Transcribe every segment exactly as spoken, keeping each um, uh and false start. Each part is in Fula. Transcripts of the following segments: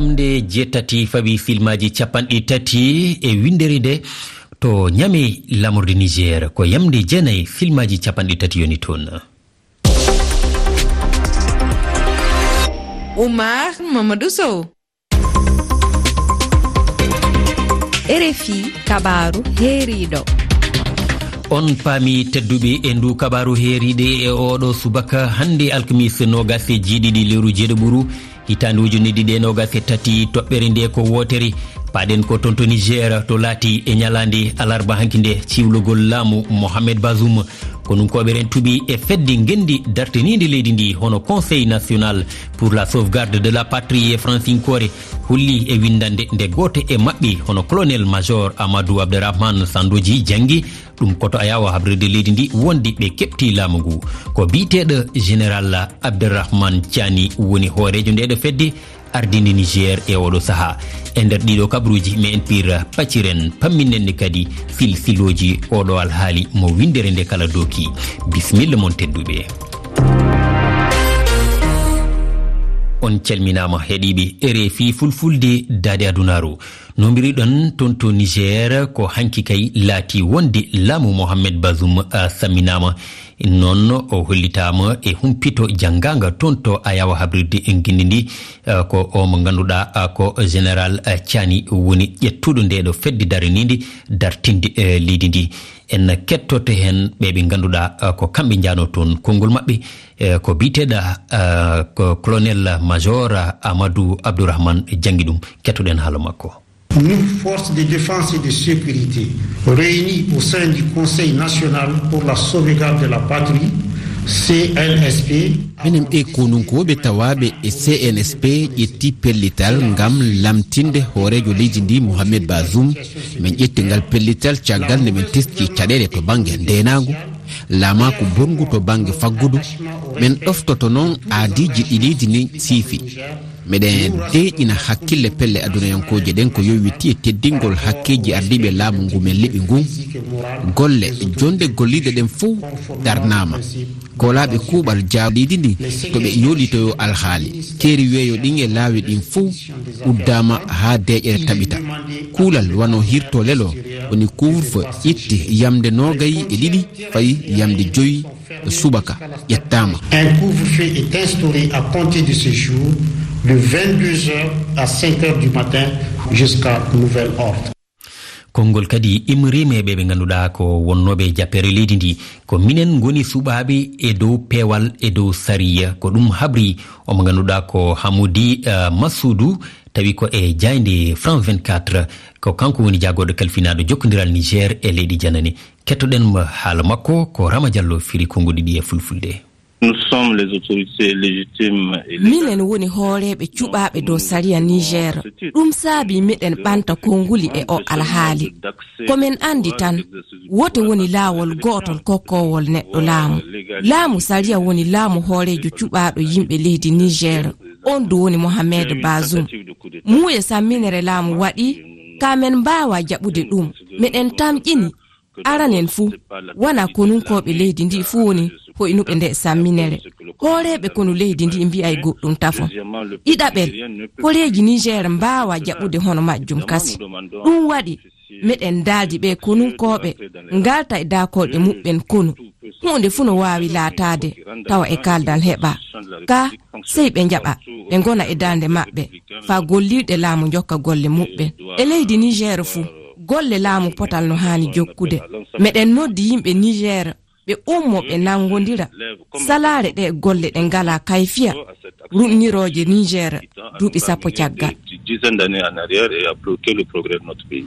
Yamde jeetati fawi filmaaji capanɗe tati e winndere nde to Niamey, lamorde Niger, ko yamde jeenayi filmaaji capanɗe tati yoni toon. Oumar Mamadou Sow. R F I, kabaaru heeriiɗo. On paami tedduɓe e ndu kabaaru heeriiɗo e oɗo subaka hannde alkamis noogas e jeeɗiɗi lewru jeeɗiɓuru, hitaande ujunere ɗiɗi e noogas e tati, toɓɓere nde ko wootere. Paaɗen ko toon to Niger, to laati e ñalaande alarba hanki nde ciwlugol laamu Mohamed Bazoum. Konunkooɓe rentuɓe e fedde ngenndi dartiniinde leydi ndi, hono Conseil National pour la Sauvegarde de la Patrie e fransinkoore, holli e winndannde nde gooto e maɓɓe, hono Colonel Major Amadou Abderrahmane Sandoji, janngi ɗum ko to Ayawo habrirde leydi ndi wondi ɓe keɓti laamu ngu. Ko biyeteeɗo Général Abderrahmane Tiani woni hooreejo ndeeɗo fedde ardinde Niger e oɗo sahaa. E nder ɗiɗo kabaruuji, me en pir pacciren, pamminnen ni kadi silsilooji oɗo alhaali mo winndere nde kala dooki. Bisimilla mon tedduɓe. On calminaama heɗiiɓe R F I Fulfulde Daade Adunaaru. No mbiriɗon toon to Niger, ko hanki kay laati wonde laamu Mohamed Bazoum, ah, samminaama. Noon o hollitaama e humpito janngaanga toon to Ayawa habrirde en ngenndi ndi, ah, ko o mo ngannduɗaa, ah, ko Général, ah, Tiani woni ƴettuɗo ndeeɗo fedde daraniinde dartinde, eh, leydi ndi. En kettoto heen ɓe ɓe ngannduɗaa, ah, ko kamɓe njaanoo toon. Konngol maɓɓe, eh, ko biyeteeɗo, ah, ko Colonel Major Amadou Abdourahmane janngi ɗum. Kettoɗen haala makko. Nous, forces de défense et de sécurité, réunies au sein du Conseil national pour la sauvegarde de la patrie, C N S P, minen ɓe konunkooɓe tawaaɓe e C N S P ƴetti pellital ngam lamtinde hooreejo leydi ndi, Mohamed Bazoum. Min ƴetti ngal pellital caggal nde min teski caɗeele to bannge ndeenaagu, laamaaku bonngu to bannge faggudu. Min ɗoftoto noon aadiiji ɗi leydi ndi siifi. Miɗen deeƴina hakkille pelle adunayankooje ɗen ko yowiti e teddingol hakkeeji ardiiɓe laamu ngu men liɓi ngun. Golle, jonnde golliiɗe ɗen fof darnaama. Koolaaɓe kuuɓal jaaw leydi ndi to ɓe yoolitoyo alhaali, keeri weeyo ɗin e laawi ɗin fof uddaama haa deeƴere taɓita. Kuulal wano hirto lelo woni couvre-feu ƴetti yamde noogay e ɗiɗi fayi yamde joyi subaka ƴettaama. Un couvre-feu est instauré à compter de ce jour, de vingt-deux heures à cinq heures du matin, jusqu'à nouvel ordre. Konngol kadi immoriima e ɓe ɓe ngannduɗaa ko wonnooɓe e jappeere leydi ndi. Ko minen ngoni suɓaaɓe e dow peewal, e dow sariya. Ko ɗum habri o mo ngannduɗaa ko Hamoudi, eh, Massoudou, tawi ko e jaaynde France vingt-quatre. Ko kanko woni jaagorɗo kalfinaaɗo jokkondiral Niger e leyɗe janane. Kettoɗen mo haala makko, ko Rama Diallo firi konnguɗi ɗi e fulfulde. Nous sommes les autorités légitimes et légales. Minen woni hooreeɓe cuɓaaɓe dow sariya Niger. Ɗum saabi miɗen ɓanta konnguli e o alhaali. Ko men anndi tan, wote woni laawol gootol kokkowol neɗɗo laamu. Laamu sariya woni laamu hooreejo cuɓaaɗo yimɓe leydi Niger. On du woni Mohamed Bazoum. Muuye samminere laamu waɗi, ka men mbaawa jaɓude ɗum. Miɗen tamƴini. Aranen fuu, wona konunkooɓe leydi ndi fuu woni hoynuɓe nde samminere. Hooreeɓe konu leydi ndi mbi'ay goɗɗum tafo. Ɗiɗaɓel, koreeji Niger mbaawa jaɓude hono majjum kasi. Ɗum waɗi, meɗen daaldi ɓe konunkooɓe ngalta e daakolɗe muɓɓen konu. Huunde fuu no waawi laataade tawa e kaldal heɓa. Ka sey ɓe njaɓa, ɓe ngona e darnde maɓɓe, faa gollirɗe laamu njokka golle muɓɓen. E leydi Niger fuu, golle laamu potal no haani jokkude. Meɗen noddi yimɓe Niger, ɓe ummo, ɓe nanngondira. Salaare ɗe golle ɗe ngalaa kayfiya, ruɗnirooje Niger, duuɓi sappo caggal. Dizaine d'années en arrière et a bloqué le progrès de notre pays.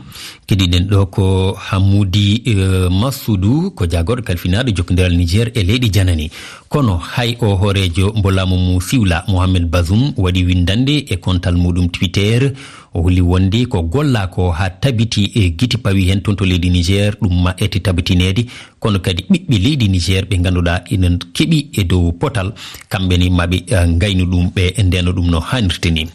Keɗiɗen ɗo ko Hamoudi, eh, Massoudou, ko jaagorɗo kalfinaaɗo jokkondiral Niger e leyɗe janane. Kono hay o hooreejo mbo laamu mu siwla, Mohamed Bazoum, waɗi winndannde e kontal muɗum Twitter. O holli wonde ko gollaa ko haa tabiti e giti pawi heen toon to leydi Niger, ɗum ma ete tabitineede. Kono kadi ɓiɓɓe leydi Niger ɓe ngannduɗaa ina keɓi e dow potal, kamɓe ne maɓe, eh, ngaynu ɗum, ɓe ndeeno ɗum no haanirta ni.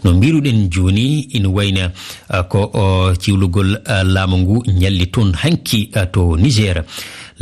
No mbiruɗen jooni, ina wayna, eh, ko, o, ciwlugol, eh, laamu ngu ñalli toon hanki, eh, to Niger.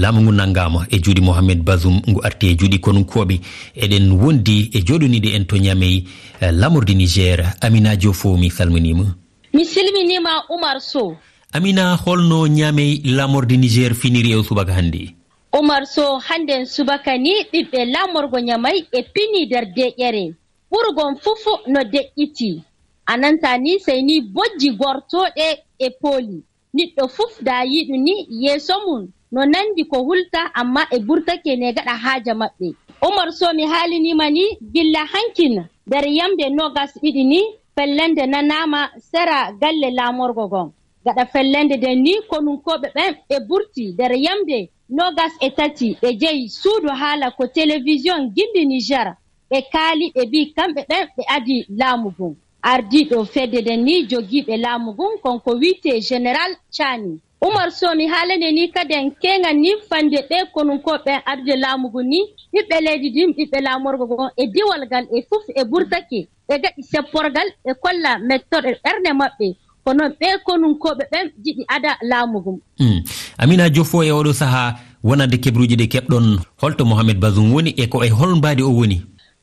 Laamu ngu nanngaama e juuɗe Mohamed Bazoum, ngu arti e juuɗe konunkooɓe. Eɗen wondi e jooɗoniiɗo en to Niamey, eh, laamorde Niger, Amina Diofo, mi salminiima. Mi salminiima, Oumar Sow. Amina, holno Niamey laamorde Niger finiri e o subaka hannde? Oumar Sow, hannden subaka ni, ɓiɓɓe laamorgo Niamey e pini nder deƴƴere. Ɓurgol fuf no deƴƴiti. A nanta ni, sey ni bojji gortooɗe e pooli. Niɗɗo fuf da yiɗu ni yeeso mum no nandi ko hulta, amma e burtake ne gaɗa haaja maɓɓe. Oumar Sow, mi haaliniima ni gilla hankin nder yamde noogas ɗiɗi ni, fellende nanaama sera galle laamorgo gon. Gaɗa fellende nden ni, konunkooɓe ɓen ɓe burti nder yamde noogas e tati, ɓe jeyi suudu haala ko télévision Gindi Niger, ɓe kaali, ɓe mbii kamɓe ɓen ɓe adii laamu ngun. Ardiiɗo fedde nden ni jogiiɓe laamu ngun, kon ko wi'etee Général Tchani. Oumar Sow, mi haalane ni kaden keeŋan ni fande ɓee konunkooɓe ɓen ardude laamu ngun ni, ɓiɓɓe leydi ndin, ɓiɓɓe laamorgo gon e diiwal ngal e fuf e burtake. Ɓe gaɗi sepporgal, ɓe kolla mettorɗe ɓernde maɓɓe, ko non ɓee konunkooɓe ɓen jiɗi ada laamu ngun. Hmm. Amina Diofo, e oɗo sahaa, wonande keɓruuji ɗi keɓɗon, holto Mohamed Bazoum woni e ko e hol mbaadi o woni?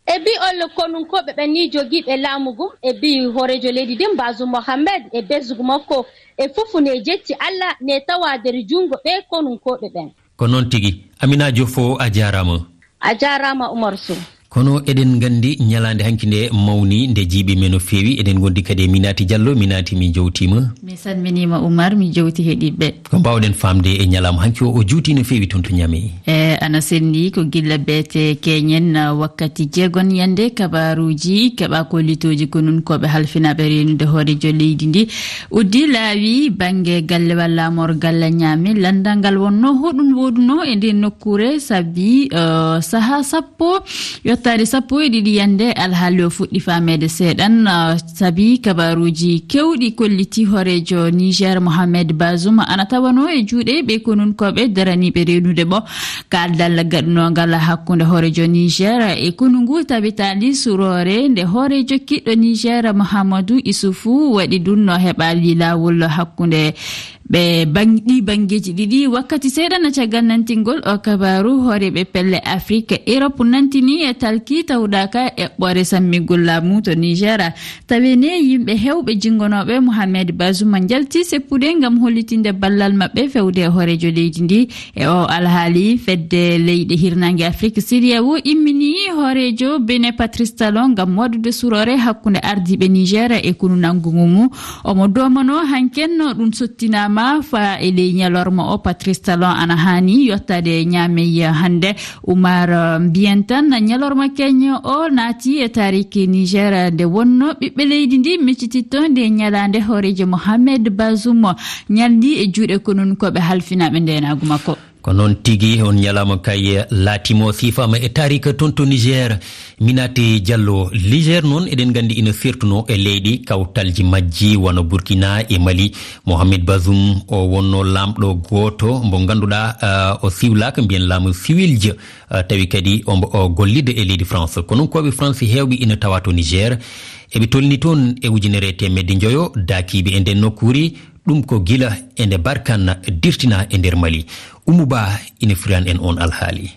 E bi'ol konunkooɓe ɓen ni jogiiɓe laamu ngun, e bi'i hooreejo leydi ndin Bazoum Mohamed e besngu makko e fuf ne jecci Alla ne tawa nder junngo ɓee konunkooɓe ɓen. Ko noon tigi. Amina Diofo, a jaaraama. A jaaraama, Oumar Sow. Kono eɗen nganndi ñalaande hanki nde mawni, nde jiiɓi men no feewi. Eɗen ngondi kadi e Minati Diallo. Minati, mi jowtiima. Mi salminiima, Oumar, mi jowti heɗiiɓe. Ko mbaawɗen faamde e ñalaama hanki o, o juuti no feewi toon to Niamey? E, ana senndi ko gilla beete keñen, ah, wakkati jeegon yande kabaruuji keɓa kollitooji konunkooɓe halfinaaɓe reenude hooreejo leydi ndi. Uddi laawi bannge galle walla laamorgal Niamey. Lanndal ngal wonno hoɗum woɗuno e nden nokkuure, sabi, eh, saha sappo, yottaade sappo e ɗiɗi yande alhaali o fuɗɗi faameede seeɗan, eh, sabi kabaruuji kewɗi kolliti hooreejo Niger Mohamed Bazoum ana tawano e juuɗe ɓe konunkooɓe daraniiɓe reenude mo. Kaaldal gaɗunongal hakkunde hooreejo Niger e konu ngu tabitaali suroore nde hooreejo kiɗɗo Niger Mahamadou Issoufou waɗi ɗum no heɓaali laawol hakkunde ɓe bang-, ɗi banngeeji ɗiɗi. Wakkati seeɗa na caggal nantingol o kabaaru, hooreeɓe pelle Afrik, Erop nantini e talki tawɗaaka eɓɓoore sammigol laamu to Niger. Tawi ne yimɓe heewɓe jinngonooɓe Mohamed Bazoum njalti seppude ngam hollitinde ballal maɓɓe fewde e hooreejo leydi ndi. E o alhaali, fedde leyɗe hirnaange Afrik, CEDEAO, immini hooreejo Benin Patrice Talon ngam waɗude suroore hakkunde ardiiɓe Niger e konu nanngungu ngu. Omo doomano hanken no ɗum sottinaama fa e ley ñalorma o, Patrice Talon ana haani yottaade Niamey hannde. Oumar, eh, mbiyen tan, ñalorma keño o naati e taariki Niger, nde wonno ɓiɓɓe leydi ndi miccititto nde ñalaande hooreejo Mohamed Bazoum ñaldi e juuɗe konunkooɓe halfinaaɓe ndeenaagu makko. Ko noon tigi, on ñalaama kay laatiima o siifaama e taarika toon to Niger. Minati Diallo, Niger noon eɗen nganndi ina sertuno e leyɗe kawtalji majji wano Burkina e Mali. Mohamed Bazoum o wonno laamɗo gooto mbo ngannduɗaa, ah, o siwlaaka, mbiyen laamu siwiljo. Ah, tawi kadi ombo o gollidde e leydi France. Konunkooɓe France heewɓe ina tawa to Niger. Eɓe tolni toon e ujunere e teemedde njoyo daakiiɓe e nden nokkuure, ɗum ko gila e nde Barkhane dirtinaa e nder Mali. Oumou Ba ina firan en on alhaali.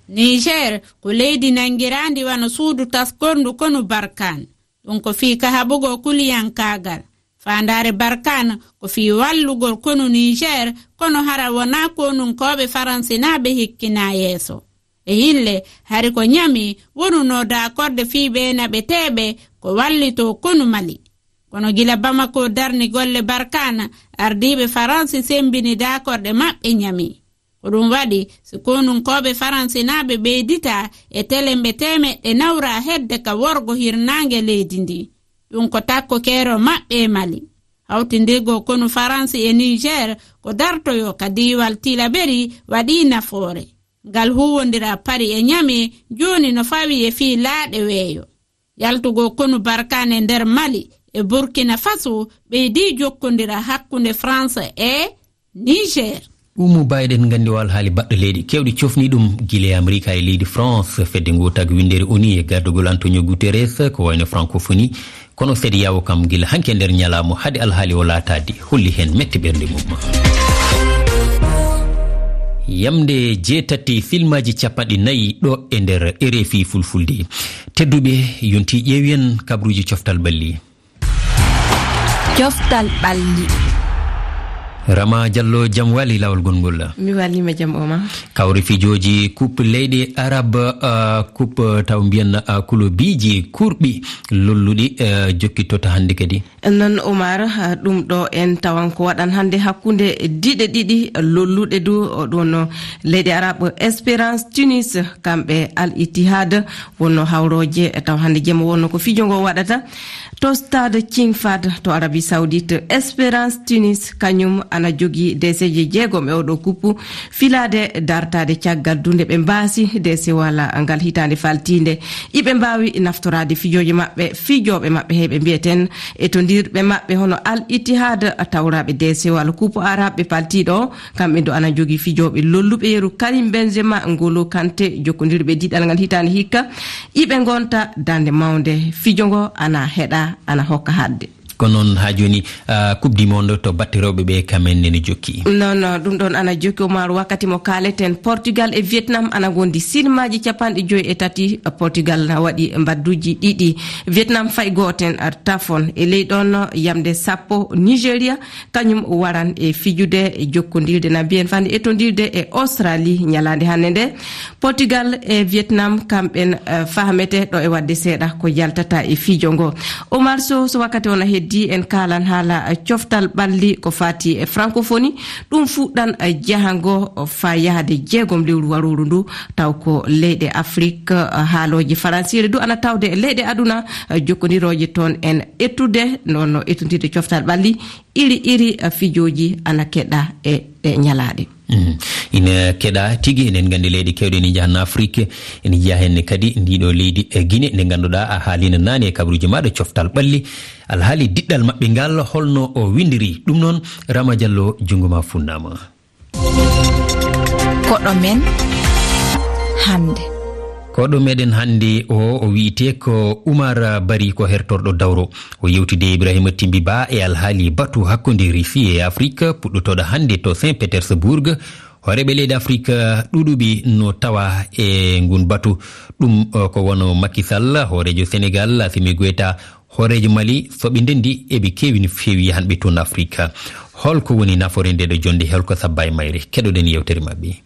Niger ko leydi nanngiraandi wano suudu taskorndu konu Barkhane. Ɗum ko fii kahaɓugol kuliyankaagal. Faandaare Barkhane ko fii wallugol konu Niger, kono hara wonaa konunkooɓe faransinaaɓe hikkinaa yeeso. E hille, hari ko Niamey wonunoo daakorde fii ɓee naɓeteeɓe ko wallitoo konu Mali. Kono gila Bamako darni golle Barkhane, ardiiɓe Faransi semmbini daakorde maɓɓe Niamey. Ko ɗum waɗi, si konunkooɓe faransinaaɓe ɓeyditaa e telembe teemeɗɗe nawraa hedde ka worgo hirnaange leydi ndi. Ɗum ko takko keerol maɓɓe e Mali. Hawtindirgol konu Faransi e Niger ko dartoyoo ka diiwal Tilaberi waɗii nafoore. Ngal huuwondiral Paris e Niamey jooni no fawii e fii laaɗe weeyo. Yaltugol konu Barkhane nder Mali e Burkina Faso ɓeydii jokkondiral hakkunde France e Niger. Oumou Ba, eɗen nganndi o alhaali baɗɗo leydi keewɗi cofni ɗum gila e Amerika e leydi France. Fedde ngoo tagi winndere ONU e gardugol Antonio Guterres ko wayno francophonie. Kono CEDEAO kam gila hanki e nder ñalaamo hade alhaali o laataade holli heen mette ɓernde mum. Yamde jeetati filmaaji capanɗe nayi ɗo e nder R F I Fulfulde. Tedduɓe, yonti ƴeewen kabaruuji coftal ɓalli. Coftal ɓalli. Rama Diallo, jam wali laawol gonngol. Mi waliima jam, Omar. Kawre fijooji Coupe leyɗe Arab, ah, Coupe taw mbiyen, ah, kulobiiji kurɓi lolluɗi, eh, jokkitoto hannde kadi. Noon, Omar, ah, ɗum ɗo en tawan ko waɗan hannde hakkunde diɗe ɗiɗi lolluɗe du, o ɗum no leyɗe Arab, Espérance Tunis, kamɓe Al Ittihad wonno hawrooje, taw hannde jemma wonno ko fijo ngo waɗata. To stade King Fahd to Arabie Saoudite, Espérance Tunis kañum ana jogii deeseeje jeegom e oɗo kuppu, filaade dartaade caggal du nde ɓe mbaasi deesewal ngal hitaande faltiinde. Iɓe mbaawi naftoraade fijooje maɓɓe, fijooɓe maɓɓe heyɓe mbiyeten e to ndirɓe maɓɓe hono Al Ittihad tawraaɓe deesewal kuppu arabɓe paltiiɗo o, kamɓe du ana jogii fijooɓe lolluɓe yeru Karim Benzema, Ngolo Kante, jokkondirɓe diɗal ngal hitaande hikka. Iɓe ngonta daande mawnde, fijo ngo ana heɗa, ana hokka haɗde. Ko noon haa jooni, ah, Coupe du Monde to batte rewɓe ɓe, kam en nene jokki. Non, non, ɗum ɗoon ana jokki, Omar, wakkati mo kaaleten, Portugal e Vietnam ana ngondi silmaaji capanɗe joyi e tati. Portugal na waɗi mbadduji ɗiɗi, Vietnam fay gooten, ah, tafon. E ley ɗoon yamde sappo, Nigeria kañum waran e fijude, e jokkondirde, na mbiyen fande e tondirde e Australie ñalaande hannde nde. Portugal e Vietnam, kamɓen, eh, fahmete ɗo e waɗde seeɗa ko yaltata e fijo ngo. Omar Sow, so wakkati o na heddi, en kaalan haala, eh, coftal ɓalli ko faati e francophonie. Ɗum fuɗɗan, eh, jahango faa yahde jeegom lewru warooru ndu, taw ko leyɗe Afrik, eh, haalooje faransiire du ana tawde e leyɗe aduna, eh, jokkondirooje toon en ettude, noon no ettondirde coftal ɓalli. Iri iri, eh, fijooji ana keɗa e ɗe ñalaaɗe. Mm. Ina keɗa tigi, eɗen nganndi leyɗe keewɗe ene njaha Afrik, ene njiya heen kadi ndiɗo leydi, eh, Guinée, nde ngannduɗaa a haalino naane e kabaruuji maaɗa coftal ɓalli, alhaali diɗɗal maɓɓe ngal, holno o winndiri. Ɗum noon, Rama Diallo, junngo ma funnaama. Koɗo men hannde. Koɗo meɗen hannde o, o wiyetee ko Oumar Barry, ko hertorɗo dawro. O yewtidi e Ibrahima Timbi Ba e alhaali batu hakkunde Russie e Afrik, puɗɗotooɗo hannde to Saint Petersburg. Hooreeɓe leyɗe Afrik ɗuuɗuɓe no tawa e ngun batu. Ɗum, eh, ko wano Macky Sall, hooreejo Senegal, Assimi Goïta, hooreejo Mali, so ɓe ndenndi, eɓe keewi no feewi hannde toon Afrik. Holko woni nafoore nde ɗo jonnde? Holko sabba e mayre? Keɗoɗen yewtere maɓɓe.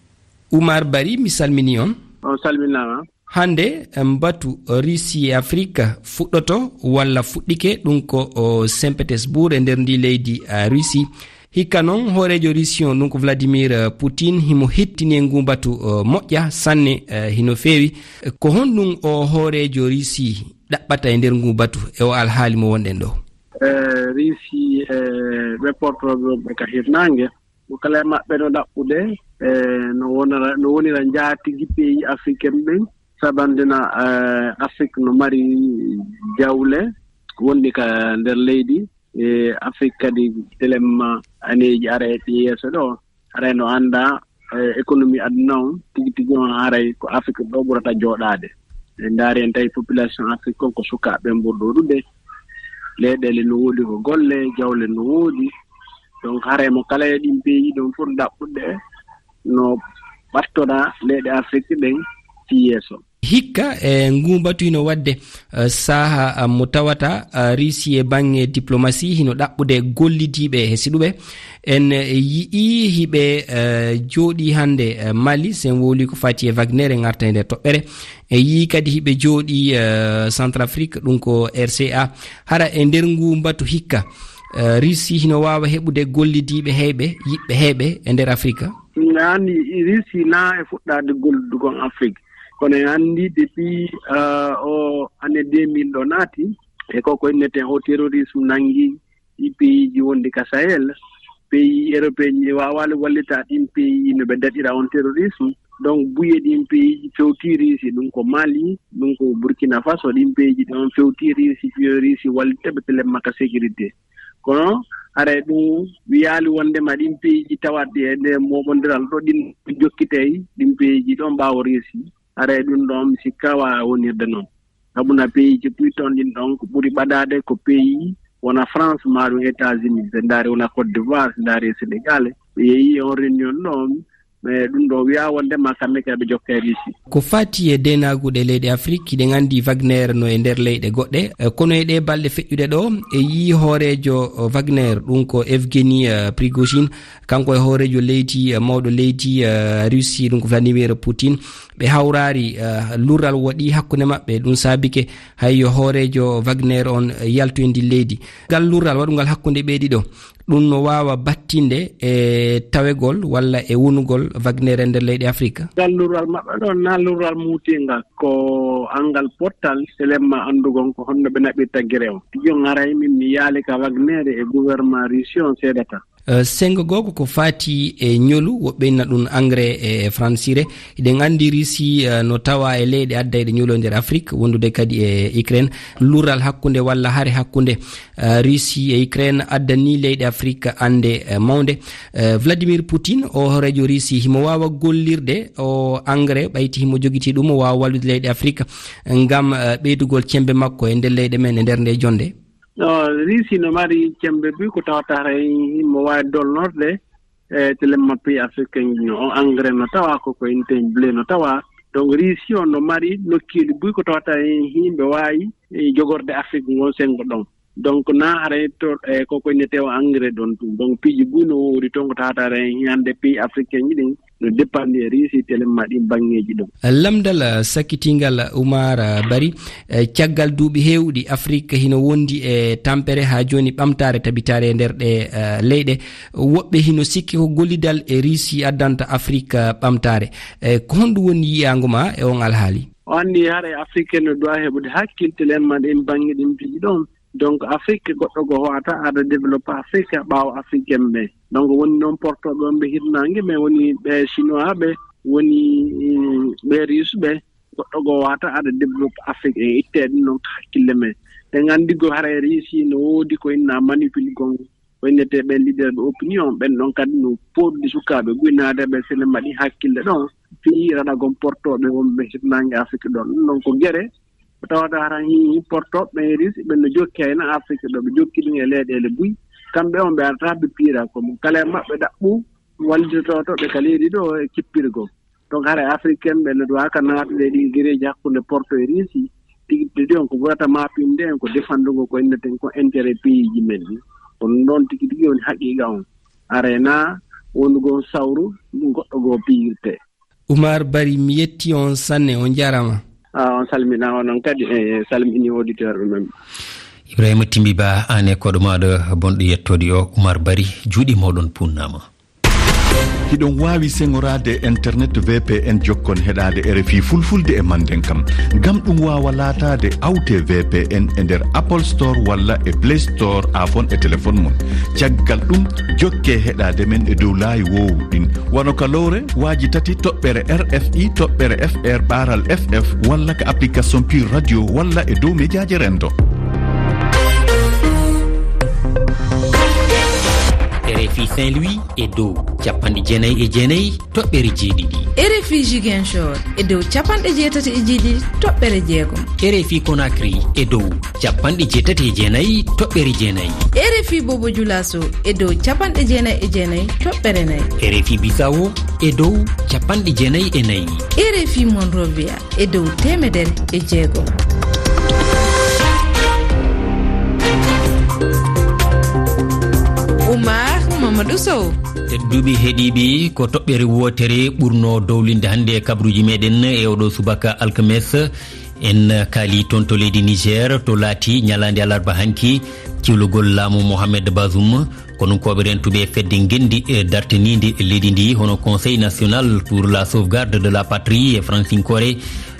Oumar Barry, mi salmini on. On salminaama. Hannde, em, batu Russie e Afrik fuɗɗoto walla fuɗɗike, ɗum ko o Saint Petersburg e nder ndi leydi, a, Russie. Hikka noon, hooreejo Russie on, ɗum ko Vladimir, eh, Poutine, himo hettini e ngu batu, eh, moƴƴa sanne, eh, hino feewi. Ko honɗum o hooreejo Russie ɗaɓɓata e nder ngu batu e o alhaali mo wonɗen ɗo? Eh, Russie, eh, ɓe portooɓe wonɓe ka hirnaange, mo kala e maɓɓe no ɗaɓɓude, eh, no wonira, no wonira njaatigi pays africain ɓen, sabandina, eh, Afrique no mari jawle wonɗi ka nder leydi, e Afrique kadi telemma aneeji ara e yeeso ɗo, haray no annda, eh, économie aduna on, tigi tigi on haray ko Afrique ɗo ɓurata jooɗaade. En ndaari en tawi population Afrique on ko sukaaɓe ɓen ɓuri ɗuuɗude, leyɗeele no woodi ko golle, jawle no woodi. Donc haray mo kala e ɗin pays ɗon foti ɗaɓɓude no ɓattora leyɗe Afrique ɗen fii yeeso. Hikka, e, nguu batu hino waɗde, e, saha, e, mo tawata, e, Russie e baŋŋe diplomasi hino ɗaɓɓude gollidiiɓe hesiɗuɓe. En, e, yi'ii hiɓe, e, jooɗii hannde, e, Mali, sen wowlii ko fati e Wagner, en arta e nder toɓɓere. En yi'ii kadi hiɓe jooɗii, e, Centrafrique, ɗum ko R C A. Hara e nder nguu mbatu hikka, e, Russie hino waawa heɓude gollidiiɓe heyɓe, yiɓɓe heyɓe e nder Afrique? Mi anndi Russie na e fuɗɗaade gollidugol Afrique. Kono en anndi depuis, ah, o année deux mille ɗo naati, e ko ko inneten o terrorisme nanngi ɗi pays ji wonɗi ka Sahel, pays européen ji waawaali wallita ɗin pays no ɓe daɗira on terrorisme. Donc, buye ɗin pays ji fewti Russie, ɗum ko Mali, ɗum ko Burkina Faso, ɗin pays ji ɗon fewti Russie, fiyo Russie wallita ɓe telemma ka sécurité. Kono haray ɗum wiyaali wondema ɗin pays ji tawat e nder moɓondiral ɗo ɗin jokkitay ɗin pays ji ɗon ɓaawo Russie. Haray ɗum ɗon mi sikka waawa wonirde noon. Sabu na pays ji puy ton ɗin ɗon ko ɓuri ɓadaade ko pays wona France, maa ɗum États-Unis, so ndaari wona Côte d'Ivoire, so ndaari Sénégal. Ɓe yehi e on réunion ɗon, E ɗum ɗo wiya wonde ma kamɓe kadi ɓe jokka e Russie. Ko fati e denaagu ɗe leyɗe Afrik, hiɗen anndi Wagner no e nder leyɗe goɗɗe. E, kono e ɗe balɗe feƴƴuɗe ɗo, e yii hooreejo, o, Wagner, ɗum ko Evgeny, eh, Prigozhin, kanko e hooreejo leydi, eh, mawɗo leydi, eh, Russie, ɗum ko Vladimir Putin. Ɓe hawraari, eh, lurral waɗi hakkunde maɓɓe, ɗum saabike hay yo hooreejo Wagner on, eh, yaltu e ndi leydi. Ngal lurral waɗungal hakkunde ɓe ɗiɗo, ɗum no waawa battinde e tawegol walla e wonugol Wagner e nder leyɗe Afrika? Ngal lurral maɓɓe ɗon, na lurral muutingal, ko anngal pottal, selemma anndugol ko honno ɓe naɓirta gere on. Tigi on haray min mi yaali ka Wagner e gouvernement Russie on seedata. Eh, sengo goo ko ko faati e ñolu, woɓɓe inna ɗum engrais e fransire. Hiɗen anndi Russie, eh, no tawa e leyɗe addayɗe ñolu e nder Afrique, wondude kadi e Ukraine. Lurral hakkunde walla hare hakkunde, eh, Russie e Ukraine addani leyɗe Afrique annde, eh, mawnde. Eh, Vladimir Putin, o hooreejo Russie, himo waawa gollirde o engrais, ɓayti himo jogiti ɗum, o waawa wallude leyɗe Afrique ngam, eh, ɓeydugol cembe makko e nder leyɗe men e nder nde jonde. No, Russie no mari cembe buy ko tawata haray himo waawi dolnorde e telemma pays africain ji no. On engrais no tawa ko ko inten blé no tawa. Donc Russie on no mari nokkeeli buy ko tawata hen himɓe waawi, e, jogorde Afrique ngon sengo ɗon. Donc na haray to, e, ko ko innete o engrais ɗon ɗum. Donc piiji buy no woodi toon ko tawata haray hande pays africain ji ɗin no depandi e Russie telemma ɗin banngeeji ɗon. Lamndal, eh, sakkitingal, Umar, eh, Bari, eh, caggal duuɓi heewɗi, Afrik hino wondi e tampere haa jooni ɓamtaare tabitaare e nder ɗe, eh, leyɗe. Woɓɓe hino sikki ko gollidal e Russie addanta Afrik, eh, ɓamtaare. Eh, ko honɗum woni yiyaango ma e on alhaali? O anndi haray Afrique no duwa heɓude hakkil telemma ɗin bannge ɗin piiji ɗon. Donc Afrique goɗɗo go hoata ada développé Afrique ɓaawo africain ɓe. Donc woni noon portoɓe on ɓe hirnaange, mais woni ɓe chinois ɓe, woni, mm, ɓe russe ɓe, goɗɗo go wata ada développé Afrique e itte ɗum noon hakkille men. Ɗen anndi go haray Russie no woodi ko inna manipule gon, ko innete ɓen leader ɓe opinion, ɓen ɗon kadi no poɗɗi sukaaɓe guynaade ɓe sene mbaɗi hakkille ɗon. Fii raɗa gon portoɓe wonɓe hirnaange Afrique ɗon. Ɗum noon ko gere ko tawata hara hi portoɓe ɓen Russie ɓen no jokki hayna Afrique ɗo, ɓe jokki ɗum e leyɗeele buy. Kamɓe on ɓe arata ɓe piira ko mo kala e maɓɓe ɗaɓɓu wallitoto ɓe ka leydi ɗo e kippirgol. Donc hara africain ɓe no duwa ka naatude ɗi gereeji hakkunde porto e Russie. Tigi ɗiɗi on ko ɓurata maapinde en ko defandugol ko inneten ko intérêt pays ji men ɗi. Kono noon tigi tigi woni haqiqa on. Arena wonugol sawru ɗum goɗɗo goo piyirte. Umar Bari, mi yetti on sanne, on jarama. Ah, on salmina, onon kadi, eh, salmini auditeur men. Ibrahima Timbi Ba, an e koɗo maɗo bonɗo yettode o, Umar Bari, juuɗe moɗon punnama. Hiɗon waawi seŋoraade e internet V P N jokkon heɗaade R F I fulfulde e manden kam. Ngam ɗum waawa laataade, awte V P N e nder Apple Store walla e Play Store, aafon e telefon mon. Caggal ɗum, jokke heɗaade men e dow laayi woowuɗin. Wano ka lowre, waaji tati toɓɓere R F I, toɓɓere F R, ɓaaral F F, walla ka application Pure Radio, walla e dow mejaaje renndo. R F I Saint-Louis e dow capanɗe jeenayi e jeenayi toɓɓere jeeɗiɗi. R F I Ziguinchor e dow capanɗe jeetati e jeeɗiɗi toɓɓere jeegom. R F I Conakry e dow capanɗe jeetati e jeenayi toɓɓere jeenayi. R F I Bobo Dioulasso e dow capanɗe jeenayi e jeenayi toɓɓere nayi. R F I Bissau e dow capanɗe jeenayi e nayi. R F I Monrovia e dow teemedere e jeegom. Oumar Mamadou Sow. Tedduɓe heɗiiɓe, ko toɓɓere wootere ɓurno dowlinde hannde e kabruuji meɗen e oɗo subaka alkames. En kaali toon to leydi Niger, to laati ñalaande alarba hanki, ciwlugol laamu Mohamed Bazoum. Konunkooɓe rentuɓe e fedde ngenndi, e dartiniinde e leydi ndi, hono Conseil National pour la Sauvegarde de la Patrie e Fransinkoore,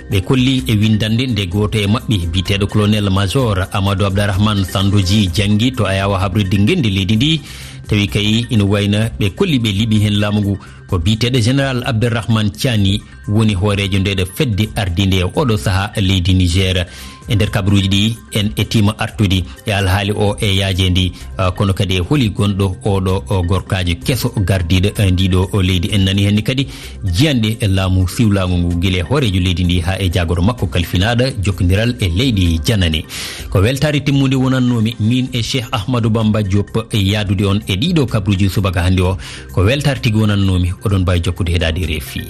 ɓe kolli e winndannde nde gooto e maɓɓe, biyeteeɗo Colonel Major Amadou Abdarrahmane Sandoji, janngi to Ayawa habrirde ngenndi leydi ndi, tawi kay ina wayna ɓe kolli ɓe liɓi heen laamu ngu. Ko biyeteeɗo Général Abderrahmane Tiani woni hooreejo ndeɗo fedde ardiinde e oɗo sahaa leydi Niger. E nder kabaruuji ɗi, en etiima artude e alhaali o e yaajeende, ah, kono kadi e holi gonɗo oɗo o gorkaajo keso gardiiɗo, eh, ndiɗo o leydi. En nani henni kadi jiyanɗe e laamu siwlaango ngu, gila e hooreejo leydi ndi haa e jaagoro makko kalfinaaɗo jokkondiral e leyɗe janane. Ko weltaare timmunde wonannoomi min e Cheikh Ahmadou Bamba Diop e yaadude on e ɗiɗo kabaruuji subaka hannde o. Ko weltaare tigi wonannoomi, oɗon mbaawi jokkude heɗaade reefi.